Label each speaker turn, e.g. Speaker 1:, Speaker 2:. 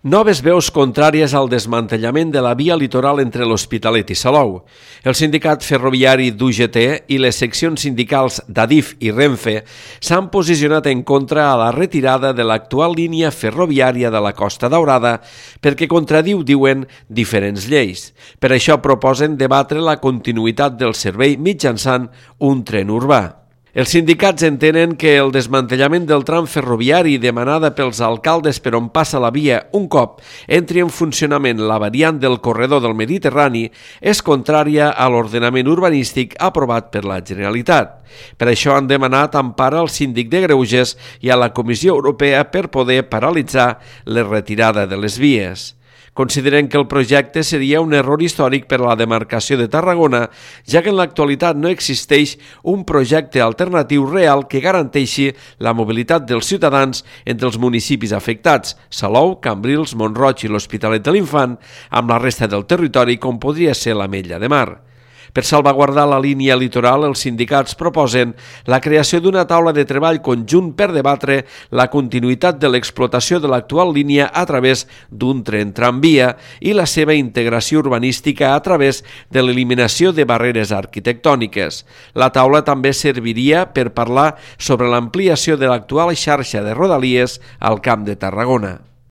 Speaker 1: Noves veus contràries al desmantellament de la via litoral entre l'Hospitalet i Salou. El sindicat ferroviari d'UGT i les seccions sindicals d'Adif i Renfe s'han posicionat en contra a la retirada de l'actual línia ferroviària de la Costa Daurada perquè contradiu, diuen, diferents lleis. Per això proposen debatre la continuïtat del servei mitjançant un tren urbà. Els sindicats entenen que el desmantellament del tram ferroviari demanada pels alcaldes per on passa la via un cop entri en funcionament la variant del corredor del Mediterrani és contrària a l'ordenament urbanístic aprovat per la Generalitat. Per això han demanat empara al síndic de Greuges i a la Comissió Europea per poder paralitzar la retirada de les vies. Consideren que el projecte seria un error històric per a la demarcació de Tarragona, ja que en l'actualitat no existeix un projecte alternatiu real que garanteixi la mobilitat dels ciutadans entre els municipis afectats, Salou, Cambrils, Mont-roig i l'Hospitalet de l'Infant, amb la resta del territori com podria ser l'Ametlla de Mar. Per salvaguardar la línia litoral, els sindicats proposen la creació d'una taula de treball conjunt per debatre la continuïtat de l'explotació de l'actual línia a través d'un tren tramvia i la seva integració urbanística a través de l'eliminació de barreres arquitectòniques. La taula també serviria per parlar sobre l'ampliació de l'actual xarxa de rodalies al Camp de Tarragona.